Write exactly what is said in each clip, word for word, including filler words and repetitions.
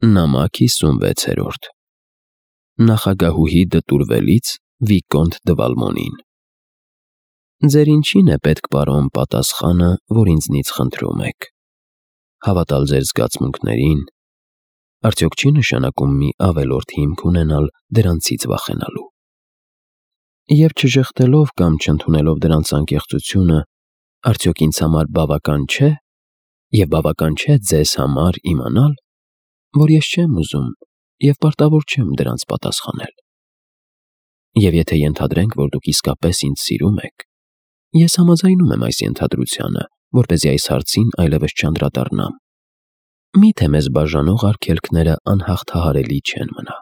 Նամակ հիսունվեցերորդ Նախագահուհի դտուրվելից Վիկոնտ դը Վալմոնին Ձեր ինչին է պետք, պարոն, պատասխանը, որ ինձնից խնդրում եք, հավատալ ձեր զգացմունքներին, արդյոք չի նշանակում մի ավելորդ հիմք ունենալ դրանցից վախենալու, և չժխտելով կամ չընդունելով դրանց անկեղծությունը, արդյոք ինձ համար բավական չէ, և բավական չէ ձեզ համար իմանալ, որ ես չեմ ուզում և պարտավոր չեմ դրանց պատասխանել, և եթե ենթադրենք, որ դուք իսկապես ինձ սիրում եք, ես համաձայնում եմ այս ենթադրությանը, որպեսզի այս հարցին այլևս չանդրադառնամ, միթե մեզ բաժանող արգելքները անհաղթահարելի չեն մնա,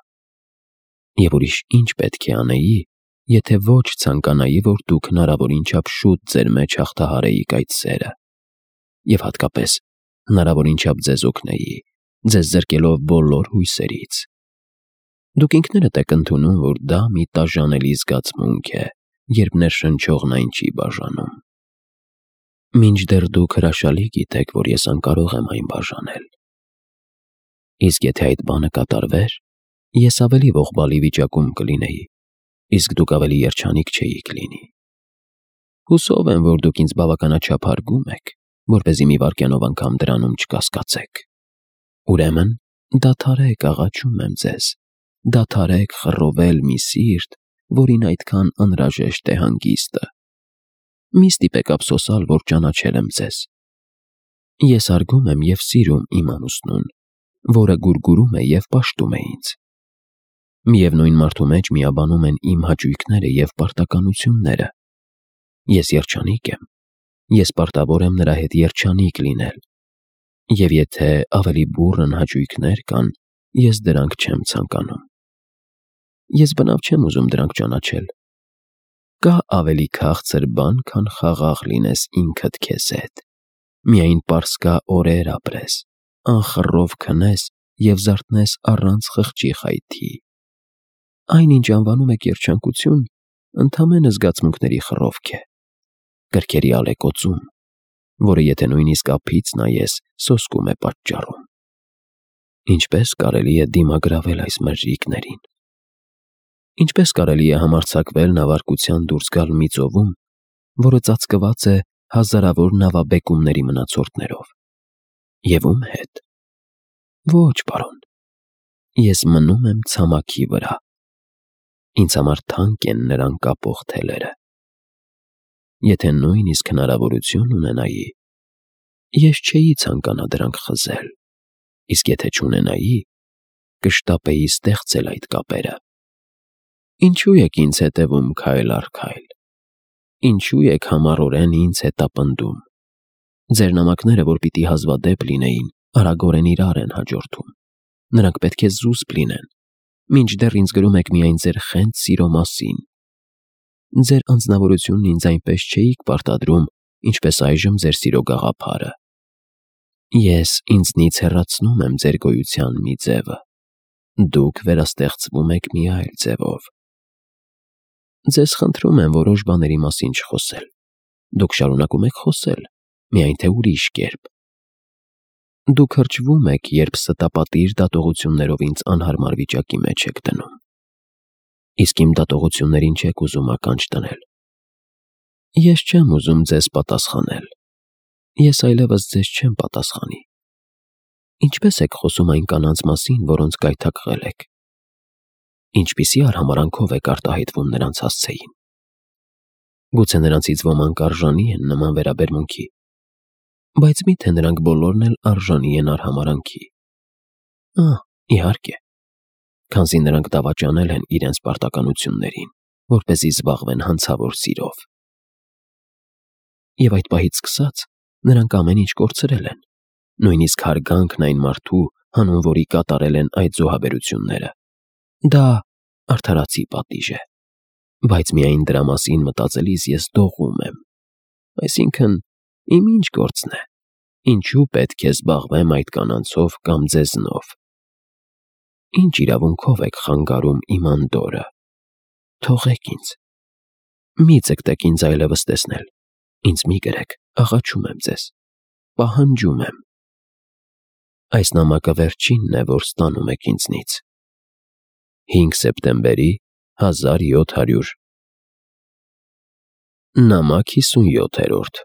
և ուրիշ ինչ պետք է անեի, եթե ոչ ցանկանայի, որ դուք հնարավորին չափ շուտ ձեր մեջ հաղթահարեիք այդ սերը, և հատկապես հնարավորին չափ ձեզ օգնեի, ձեզ զրկելով բոլոր հույսերից. Դուք ինքներդ եք ընդունում, որ դա մի տաժանելի զգացմունք է, երբ ներշնչողն այն չի բաժանում, մինչդեռ դուք հրաշալի գիտեք, որ ես անկարող եմ այն բաժանել, իսկ եթե այդ բանը կատարվեր, ես ավելի ողբալի վիճակում կլինեի, իսկ դուք ավելի երջանիկ չէիք լինի, հուսով եմ, որ դուք ինձ բավականաչափ հարգում եք, որպեսզի մի վայրկյանով անգամ դրանում չկասկածեք, ուրեմն դադարեք, աղաչում եմ ձեզ, դադարեք խռովել մի սիրտ, որին այդքան անհրաժեշտ է հանգիստը, մի ստիպեք ափսոսալ, որ ճանաչել եմ ձեզ, ես հարգում եմ և սիրում իմ ամուսնուն, որը գուրգուրում է և պաշտում է ինձ, միևնույն մարդու մեջ միաբանում են իմ հաճույքները և պարտականությունները, ես երջանիկ եմ, ես պարտավոր եմ նրա հետ երջանիկ լինել, և եթե ավելի բուռն հաճույքներ կան, ես դրանք չեմ ցանկանում, ես բնավ չեմ ուզում դրանք ճանաչել, կա ավելի քաղցր բան, քան խաղաղ լինես ինքդ քեզ հետ, միայն պարսկա օրեր ապրես, անխռով քնես և զարթնես առանց խղճի խայթի, այն ինչ անվանում եք երջանկություն, ընդամենը զգացմունքների խռովք է, կրքերի ալեկոծում, որը եթե նույնիսկ ափից նայես, սոսկում է պատճառում, ինչպե՞ս կարելի է դիմագրավել այս մրրիկներին, ինչպե՞ս կարելի է համարձակվել նավարկության դուրս գալ մի ծովում, որը ծածկված է հազարավոր նավաբեկումների մնացորդներով, և ում հետ, ոչ, պարոն, ես մնում եմ ցամաքի վրա, ինձ համար թանկ են նրան կապող թելերը, եթե նույնիսկ հնարավորություն ունենայի, ես չէի ցանկանա դրանք խզել, իսկ եթե չունենայի, կշտապեի ստեղծել այդ կապերը, ինչու եք ինձ հետևում քայլ առ քայլ, ինչու եք համառորեն ինձ հետապնդում, ձեր նամակները, որ պիտի հազվադեպ լինեին, արագորեն իրար են հաջորդում, նրանք պետք է զուսպ լինեն, մինչդեռ ինձ գրում եք միայն ձեր խենթ սիրո մասին, ձեր անձնավորությունն ինձ այնպես չէիք պարտադրում, ինչպես այժմ ձեր սիրո գաղափարը, ես ինձնից հեռացնում եմ ձեր գոյության մի ձևը, դուք վերաստեղծվում եք մի այլ ձևով, ձեզ խնդրում եմ որոշ բաների մասին չխոսել, դուք շարունակում եք խոսել, միայն թե ուրիշ կերպ, դուք հրճվում եք, երբ ստապատիր դատողություններով ինձ անհարմար վիճակի մեջ եք դնում, իսկ իմ դատողություններին չեք ուզում ականջ դնել, ես չեմ ուզում ձեզ պատասխանել, ես այլևս ձեզ չեմ պատասխանի, ինչպե՞ս եք խոսում այն կանանց մասին, որոնց գայթակղել եք, ինչպիսի արհամարհանքով եք արտահայտվում նրանց հասցեին, գուցե նրանցից ոմանք արժանի են նման վերաբերմունքի, բայց մի՞թե նրանք բոլորն էլ արժանի են արհամարհանքի, ահ, իհարկե, քանզի նրանք դավաճանել են իրենց պարտականություններին, որպեսզի զբաղվեն հանցավոր սիրով, և այդ պահից սկսած նրանք ամեն ինչ կորցրել են, նույնիսկ հարգանքն այն մարդու, հանուն որի կատարել են այդ զոհաբերությունները, դա արդարացի պատիժ է, բայց միայն դրա մասին մտածելիս ես դողում եմ, այսինքն իմ ինչ գործն է, ինչու պետք է զբաղվեմ այդ կանանցով կամ ձեզնով, ինչ իրավունքով եք խանգարում իմ անդորրը, թողեք ինձ, մի ձգտեք ինձ այլևս տեսնել, ինձ մի գրեք, աղաչում եմ ձեզ, պահանջում եմ, Այս նամակը վերջինն է, որ ստանում եք ինձնից։ հինգ սեպտեմբերի հազար յոթ հարյուր Նամակ հիսունյոթերորդ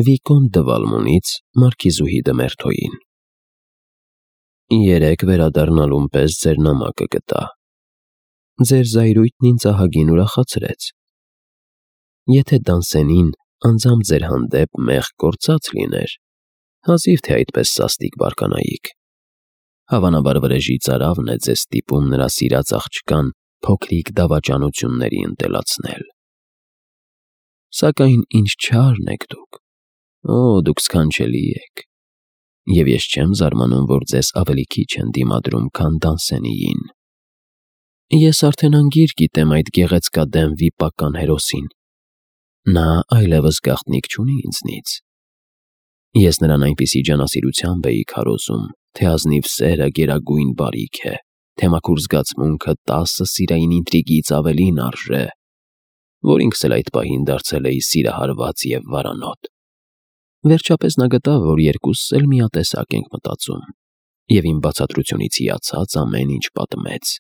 Վիկոն դը Վալմոնից Մարքիզուհի դը Մերթոյին Երեկ վերադառնալուն պես ձեր նամակը գտա։ Ձեր զայրույթն ինձ ահագին ուրախացրեց։ Եթե Դանսենին անձամբ ձեր հանդեպ մեղք գործած լիներ, հազիվ թե այդպես սաստիկ բարկանայիք։ Հավանաբար վրեժի ծարավն է ձեզ ստիպում նրա սիրած աղջկան փոքրիկ դավաճանությունների ընտելացնել։ Սակայն ինչ չարն եք դուք, օ, դուք սքանչելի եք, և ես չեմ զարմանում, որ ձեզ ավելի քիչ են դիմադրում, քան Դանսենիին։ Ես արդեն անգիր գիտեմ այդ գեղեցկադեմ վիպական հերոսին։ Նա այլևս գաղտնիք չունի ինձնից։ Ես նրան այնպիսի ջանասիրությամբ էի քարոզում, թե ազնիվ սերը գերագույն բարիք է, թե մաքուր զգացմունքը տասը սիրային ինտրիգից ավելին արժե, որ ինքս էլ այդ պահին դարձել էի սիրահարված և վարանոտ։ Վերջապես նա գտավ, որ երկուսս էլ միատեսակ ենք մտածում, և իմ բացատրությունից հիացած ամեն ինչ պատմեց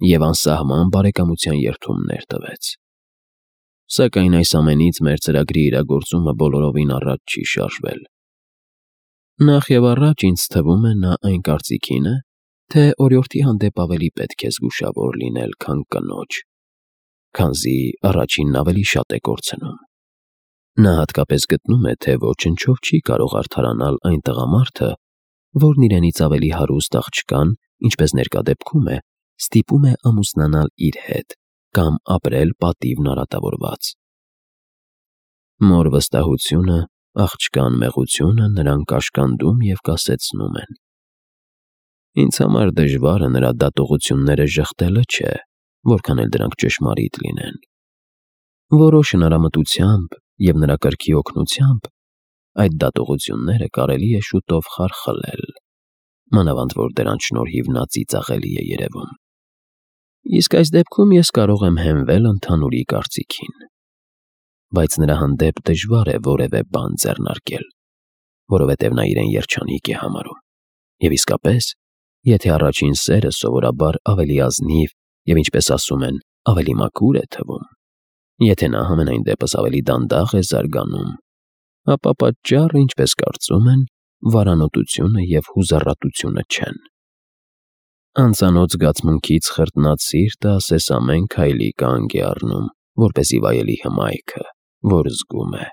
և անսահման բարեկամության երդումներ տվեց։ Սակայն այս ամենից մեր ծրագրի իրագործումը բոլորովին առաջ չի շարժվել։ Նախ և առաջ ինձ թվում է նա այն կարծիքին է, թե օրիորդի հանդեպ ավելի պետք է զգուշավոր լինել, քան կնոջ, քանզի առաջինն ավելի շատ է կորցնում։ Նա հատկապես գտնում է, թե ոչնչով չի կարող արդարանալ այն տղամարդը, որն իրենից ավելի հարուստ աղջկան, ինչպես ներկա դեպքում է, ստիպում է ամուսնանալ իր հետ կամ ապրել պատիվն արատավորված։ Մոր վստահությունը, աղջկան մեղությունը նրան կաշկանդում և կասեցնում են։ Ինձ համար դժվարը նրա դատողությունները ժխտելը չէ, որքան էլ դրանք ճշմարիտ լինեն։ Որոշ հնարամտությամբ և նրա կրքի օգնությամբ այդ դատողությունները կարելի է շուտով խարխլել, մանավանդ որ դրանց շնորհիվ նա ծիծաղելի է երևում։ Իսկ այս դեպքում ես կարող եմ հենվել ընդհանուրի կարծիքին, բայց նրա հանդեպ դժվար է որևէ բան ձեռնարկել, որովհետև նա իրեն երջանիկ է համարում, և իսկապես, եթե առաջին սերը սովորաբար ավելի ազնիվ և, ինչպես ասում են, ավելի մաքուր է թվում, եթե նա համենայն դեպս ավելի դանդաղ է զարգանում, ապա պատճառը, ինչպես կարծում են, վարանոտությունը և հուզառատությունը չեն։ Անծանոթ զգացմունքից խրտնած սիրտը ասես ամեն քայլի կանգ է առնում, որպեսզի վայելի հմայքը, որ զգում է,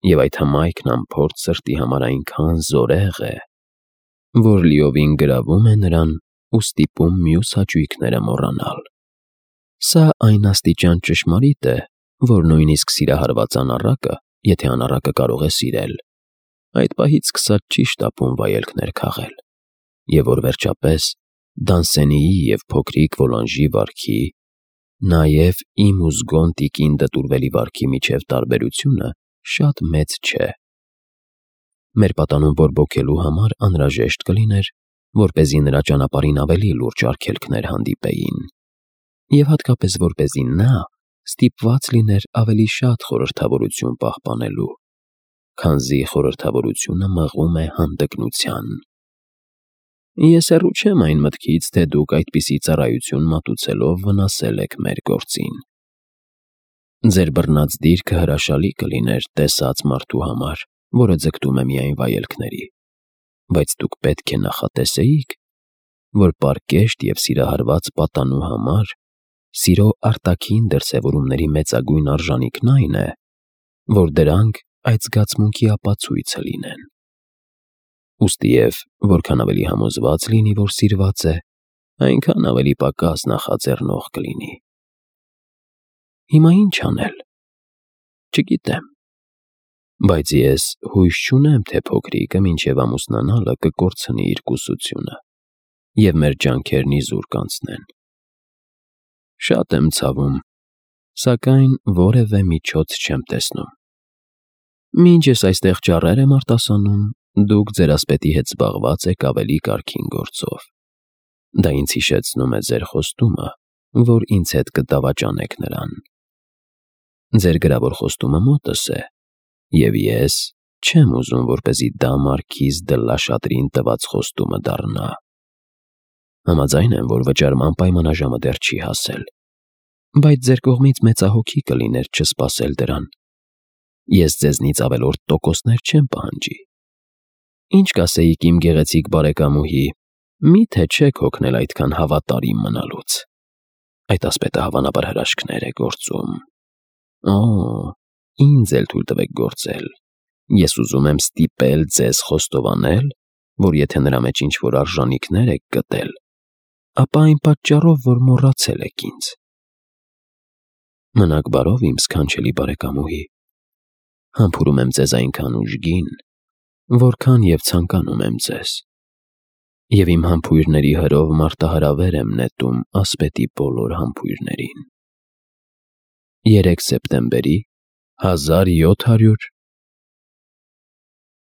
և այդ հմայքն անփորձ սրտի համար այնքան զորեղ է, որ լիովին գրավում է նրան ու ստիպում մյուս հաճույքները մոռանալ։ Սա այն աստիճան ճշմարիտ է, որ նույնիսկ սիրահարված անառակը, եթե անառակը կարող է սիրել, այդ պահից սկսած չի շտապում վայելքներ քաղել, և որ վերջապես Դանսենիի և փոքրիկ Վոլանժի վարքի, նաև իմ ու զգոն տիկին դտուրվելի վարքի միջև տարբերությունը շատ մեծ չէ։ Մեր պատանուն բորբոքելու համար անհրաժեշտ կլիներ, որպեսզի նրա ճանապարհին ավելի լուրջ արգելքներ հանդիպեին, և հատկապես որպեսզի նա ստիպված լիներ ավելի շատ խորհրդավորություն պահպանելու, քանզի խորհրդավորությունը մղում է հանդգնության։ Ես հեռու չեմ այն մտքից, թե դուք այդպիսի ծառայություն մատուցելով վնասել եք մեր գործին։ Ձեր բռնած դիրքը հրաշալի կլիներ տեսած մարդու համար, որը ձգտում է միայն վայելքների, բայց դուք պետք է նախատեսեիք, որ պարկեշտ և սիրահարված պատանու համար սիրո արտաքին դրսևորումների մեծագույն արժանիքն այն է, որ դրանք այդ զգացմունքի ապացույցը լինեն։ Ուստիև որքան ավելի համոզված լինի, որ սիրված է, այնքան ավելի պակաս նախաձեռնող կլինի։ Հիմա ի՞նչ անել։ Չգիտեմ, բայց ես հույս չունեմ, թե փոքրիկը մինչև ամուսնանալը կկորցնի իր կուսությունը, և մեր ջանքերն իզուր կանցնեն։ Շատ եմ ցավում, սակայն որևէ միջոց չեմ տեսնում։ Մինչ ես այստեղ ճառեր եմ արտասանում, դուք ձեր ասպետի հետ զբաղված եք ավելի կարգին գործով։ Դա ինձ հիշեցնում է ձեր խոստումը, որ ինձ հետ կդավաճանեք նրան։ Ձեր գրավոր խոստումը մոտս է, և ես չեմ ուզում, որպեսզի դա Մարքիզ դե Լաշատրին տված խոստումը դառնա։ Համաձայն եմ, որ վճարման պայմանաժամը դեռ չի հասել, բայց ձեր կողմից մեծահոգի կլիներ չսպասել դրան։ Ես ձեզնից ավելորդ տոկոսներ չեմ պահանջի։ Ինչ կասեիք իմ գեղեցիկ բարեկամուհի, միթե չեք հոգնել այդքան հավատարիմ մնալուց։ Այդ ասպետը հավանաբար հրաշքներ է գործում։ Օ, ինձ էլ թույլ տվեք գործել։ Ես ուզում եմ ստիպել ձեզ խոստովանել, որ եթե նրա մեջ ինչ-որ արժանիքներ եք գտել, ապա այն պատճառով, որ մոռացել եք ինձ։ Մնաք բարով, իմ սքանչելի բարեկամուհի։ Համբուրում եմ ձեզ այնքան ուժգին, որքան և ցանկանում եմ ձեզ։ Եվ իմ համբույրների հրով մարտահրավեր եմ նետում ասպետի բոլոր համբույրներին։ երեք սեպտեմբերի հազար յոթ հարյուր